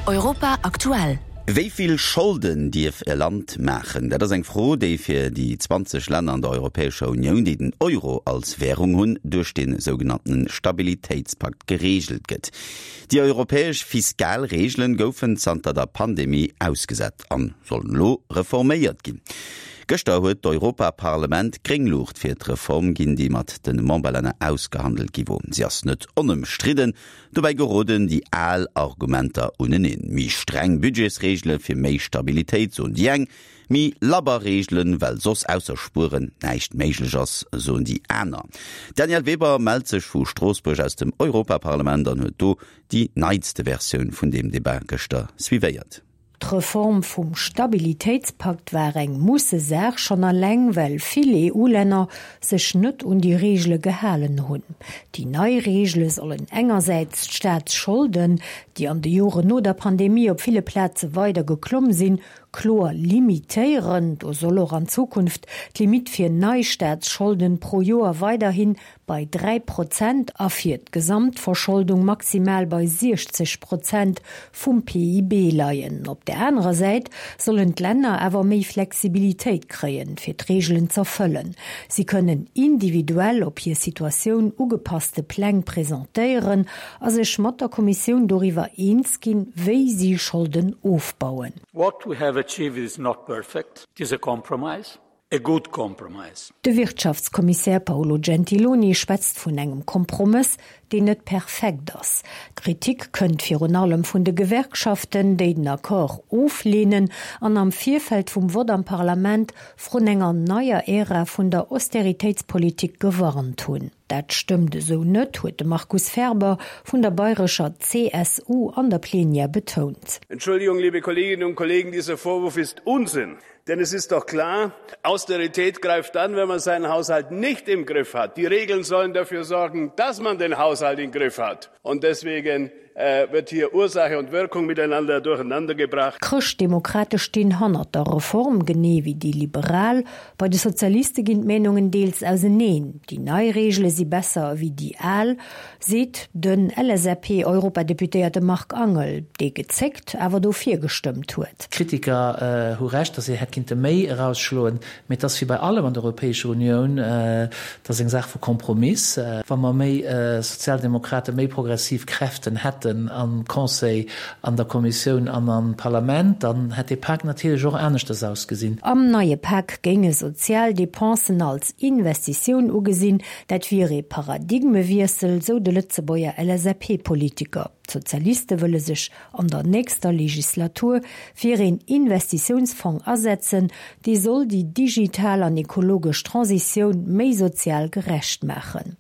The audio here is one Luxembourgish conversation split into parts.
Europa aktuell. Wéi vill Scholden dierf e Land maachen? Dat ass eng Fro, déi fir déi 20 Länner an der Europäescher Unioun, déi den Euro als Wärung hunn, duerch de sougenannten Stabilitéitspakt gereegelt gëtt. Déi europäesch fiskal Reegelen goufen zanter der Pandemie ausgesat an sollen elo reforméiert ginn. Gëschter huet d'Europaparlament gréng Luucht fir d'Reform ginn, déi mat de Memberlänner ausgehandelt gi wor. Si ass net onëmstridden. Dobäi geroden déi al Argumenter uneneen. Méi streng Budgetsreegele fir méi Stabilitéit, soen déi eng, méi labber Reegelen, well soss ausser Spueren näischt méiglech ass, soen déi aner. D'Danièle Weber mellt sech vu Stroossbuerg aus dem Europaparlament an huet do déi neitste Versioun vun deem Debat gëschter suivéiert. D'Reform vum Stabilitéitspakt war eng Mussesaach, schonn alleng well vill EU-Länner sech net un déi Reegele gehalen hunn. Déi nei Reegele sollen engersäits d'Staatsscholden, déi an de Joren no der Pandemie op ville Plaze weider geklomm sinn, kloer limitéieren. Do soll och an Zukunft d'Limitt fir nei Staatsscholden pro Joer weiderhi bei 3 Prozent a fir d'Gesamtverscholdung maximal bei 60 Prozent vum PIB leien. Op där anerer Säit sollen d'Länner awer méi Flexibilitéit kréien, fir d'Reegelen z'erfëllen. Si kënnen individuell op hir Situatioun ugepasste Pläng presentéieren a sech mat der Kommissioun doriwwer eens ginn, wéi si Scholden ofbauen. What we have achieved is not perfect, it is a compromise. A good compromise. De Wirtschaftskommissär Paolo Gentiloni schwätzt vun engem Kompromëss, deen net perfekt ass. D'Kritik kënnt virun allem vun de Gewerkschaften, déi den Accord ofleenen an am Virfeld vum Vott am Parlament vrun enger neier Ära vun der Austeritéitspolitik gewarnt hunn. Dat stëmmt esou net, huet de Markus Ferber vun der bayrescher CSU an der Plenière betount. Entschuldigung, liebe Kolleginnen und Kollegen, dieser Vorwurf ist Unsinn. Denn es ist doch klar, Austerität greift dann, wenn man seinen Haushalt nicht im Griff hat. Die Regeln sollen dafür sorgen, dass man den Haushalt im Griff hat. Und deswegen äh, wird hier Ursache und Wirkung miteinander durcheinandergebracht. D'Chrëschtdemokrate stinn hannert der Reform, genee wéi déi Liberal. Bei de Sozialiste ginn d'Meenungen deels auseneen. Déi nei Reegele si besser ewéi déi al, seet den LSAP-Europadeputéierte Marc Angel, dee gezéckt, awer dofir gestëmmt huet. D'Kritiker hu Recht, datt een hätt kinnte méi erausschloen, mee et ass wéi bei allem an der Europäescher Unioun, et ass eng Saach vu Kompromiss. Wa mer méi Sozialdemokraten, méi progressiv Kräften hätten am Conseil, an der Kommissioun an am Parlament, dann hätt dee Pak natierlech och aneschters ausgesinn. Am neie Pak géinge sozial Depensen als Investitioun ugesinn, Dat wier ee Paradigmewiessel, sou de Lëtzebuerger LSAP-Politiker. D'Sozialiste wëlle sech an der nächster Legislatur fir een Investitiounsfong asetzen, dee soll déi digital an ekologesch Transitioun méi sozial gerecht maachen.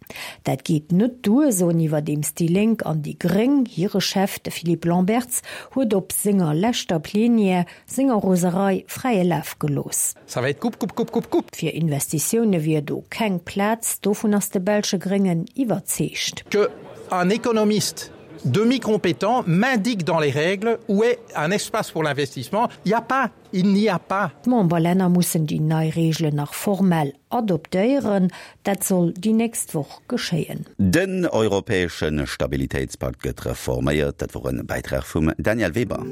Dat geet net duer, soen iwwerdeems déi Lénk an déi Gréng. Hire Chef, de Philippe Lamberts, huet op senger leschter Plenière senger Roserei fräie Laf gelooss. Ça va être coupe, coupe, coupe, coupe, coupe. Fir Investitioune wier do keng Plaz, dovun ass de belsche Gréngen iwwerzeegt. Que un économiste demi-compétent m'indique dans les règles où est un espace pour l'investissement, il y a pas, il n'y a pas. D'Memberlänner mussen déi nei Reegelen nach formell adoptéieren. Dat soll déi nächst Woch geschéien. Den europäesche Stabilitéitspakt gëtt reforméiert. Dat wor e Bäitrag vum Danièle Weber.